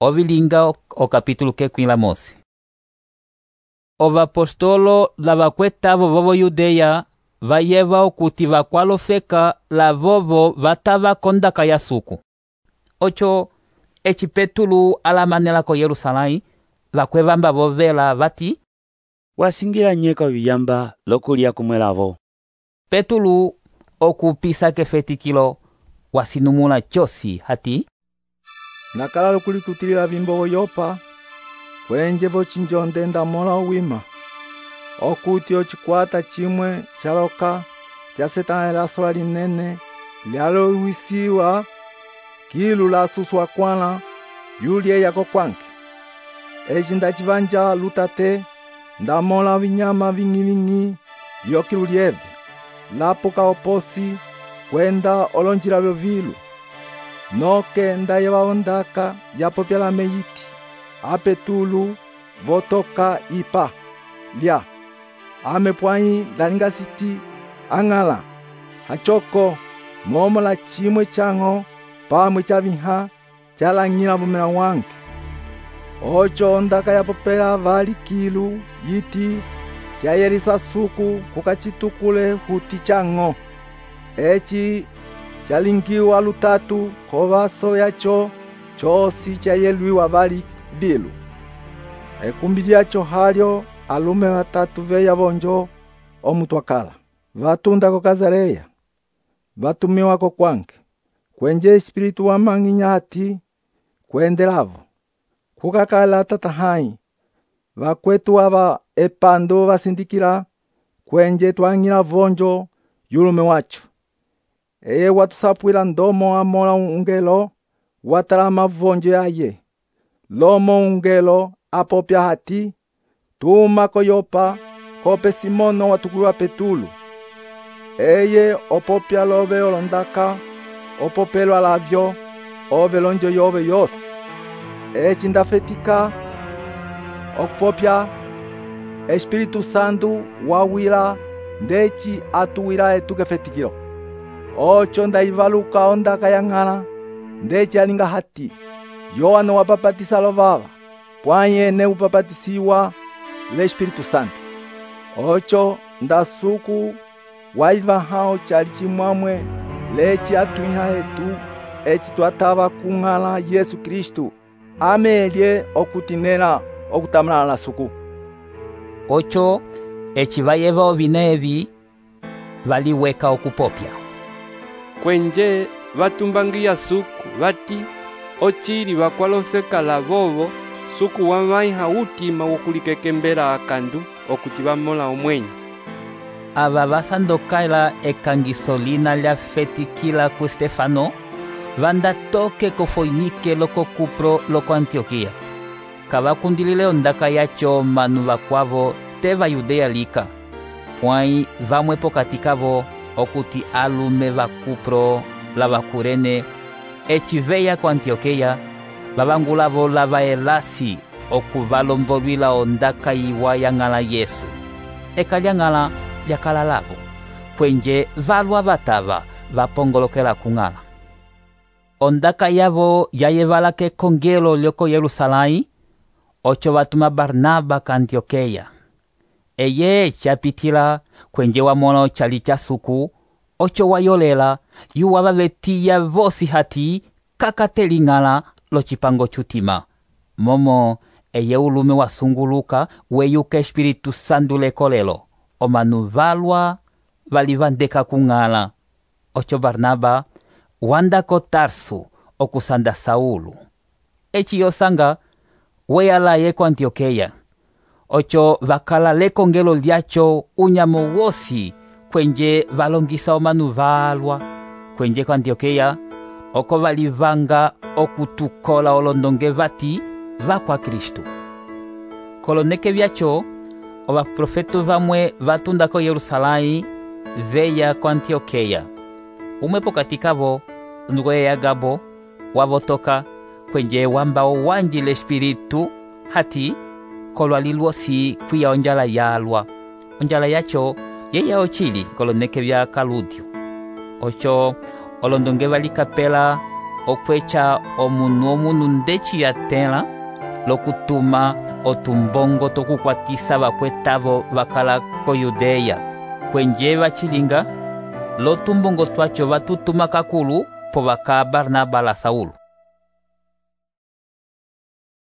Ovilinga o capítulo kekwila mosi. Ovapostolo lavakwetavo vovo Yudeya vayeva okuti vakwalofeka lavovo vatava kondaka ya suku. Ocho eci Petulu alamanela ko Yerusalém vakwevamba vovela vati wasingila nyeka oviyamba lokulya kumwelavo. Petulu okupisa kefetikilo wasinumula chosi hati nakala lokulikutilila vimbogo yopa kwenje vochinjonde ndamola owima okuti ocikwata chimwe chaloka cha Setana elasola linene lyalowisiwa kilu lasuswa kwana yulye yako kwanke eci ndacivanja lutate ndamola vinyama vingi vyokilu lyeve lapuka oposi kwenda olonjila vyovilu noke ndayeva ondaka yapopyala meyiti apetulu votoka ipa lya amepwanyi dalinga siti ang'ala hachoko momo la chimwe chango pamwe chaviha chalang'ila vumela wange ocho ondaka yapopela vali kilu yiti chayelisa suku kukachitukule huti chango eci chalingiwa lutatu kovaso yacho chosi chayelwiwa vali vilu ekumbi lyacho halyo alume vatatu veya vonjo omutwakala vatunda ko Kazareya vatumiwako kwange kwenje espiritu wa mang'inya ati kwendelavo kukakala tatahai vakwetu ava epando vasindikila kwenje twang'ila vonjo yulume wacho eye watusapwila ndomo amola ungelo watalama vonjo yaye lomo ungelo apopya hati tuma ko Yopa kope Simono watukuliwa Petulu eye opopya love olondaka opopelwa lavyo ove lonjo yove yosi eci ndafetika okupopya Espiritu Santu wawila ndeci atuwila etukefetikilo ocho ndaivaluka ondaka yang'ala ndeci alinga hati Yohana wapapatisa lovava pwanyene upapatisiwa le Espiritu Santu ocho ndasuku waiva hao chali chimwamwe leci atwiha etu eci twatava kung'ala Yesu Kristu amelye okutinela okutamala la suku. Ocho eci vayeva ovina evi valiweka okupopya kwenje vatumbangiya suku vati ochili vakwalofeka lavovo suku wamaiha utima wokulikekembela akandu okuti vamola omwenyo ava vasandokala ekangiso lina lyafetikila ku Stefano vandatoke ko Foinike loko Kupro loko Antioquia kavakundilile ondaka yacho manu vakwavo te va Yudeya lika pwai vamwe pokati kavo okuti alume va Kupro la vakurene eci veya ko Antioquia vavangulavo lava elasi okuvalombolwila ondaka iwa yang'ala Yesu eka lyang'ala lyakala lavo kwenje valwa vatava vapongolokela kung'ala ondaka yavo yayevala kekongelo lyoko Yerusalém ocho vatuma Barnaba ka Antioquia eye chapitila kwenje wamola chali cha suku ocho wayolela yuwa vavetiya vosi hati kakateling'ala locipango chutima momo eye ulume wasunguluka weyuka Espiritu Santu lekolelo omanu valwa valivandeka kung'ala ocho Barnaba wanda ko Tarsu okusanda Saulu eci yosanga weyalaye ko Antioquia ocho vakala lekongelo lyacho unyamo wosi kwenje valongisa omanu valwa kwenje ko Antioquia oko valivanga okutukola olondonge vati vakwa Kristu koloneke vyacho ovaprofetu vamwe vatunda ko Yerusalém veya ko Antioquia umwe pokati kavo ndweya Agabo wavotoka kwenje wamba owanji le Espiritu hati kolwali lwosi kwiya onjala yalwa onjala yacho yeya ochili koloneke vya Kaludio ocho olondonge valikapela okwecha omunu ndeci yatela lokutuma otumbongo tokukwatisa vakwetavo vakala ko Yudeya. Kwenje vacilinga lotumbongo twacho vatutuma kakulu po vaka Barnaba la Saulo.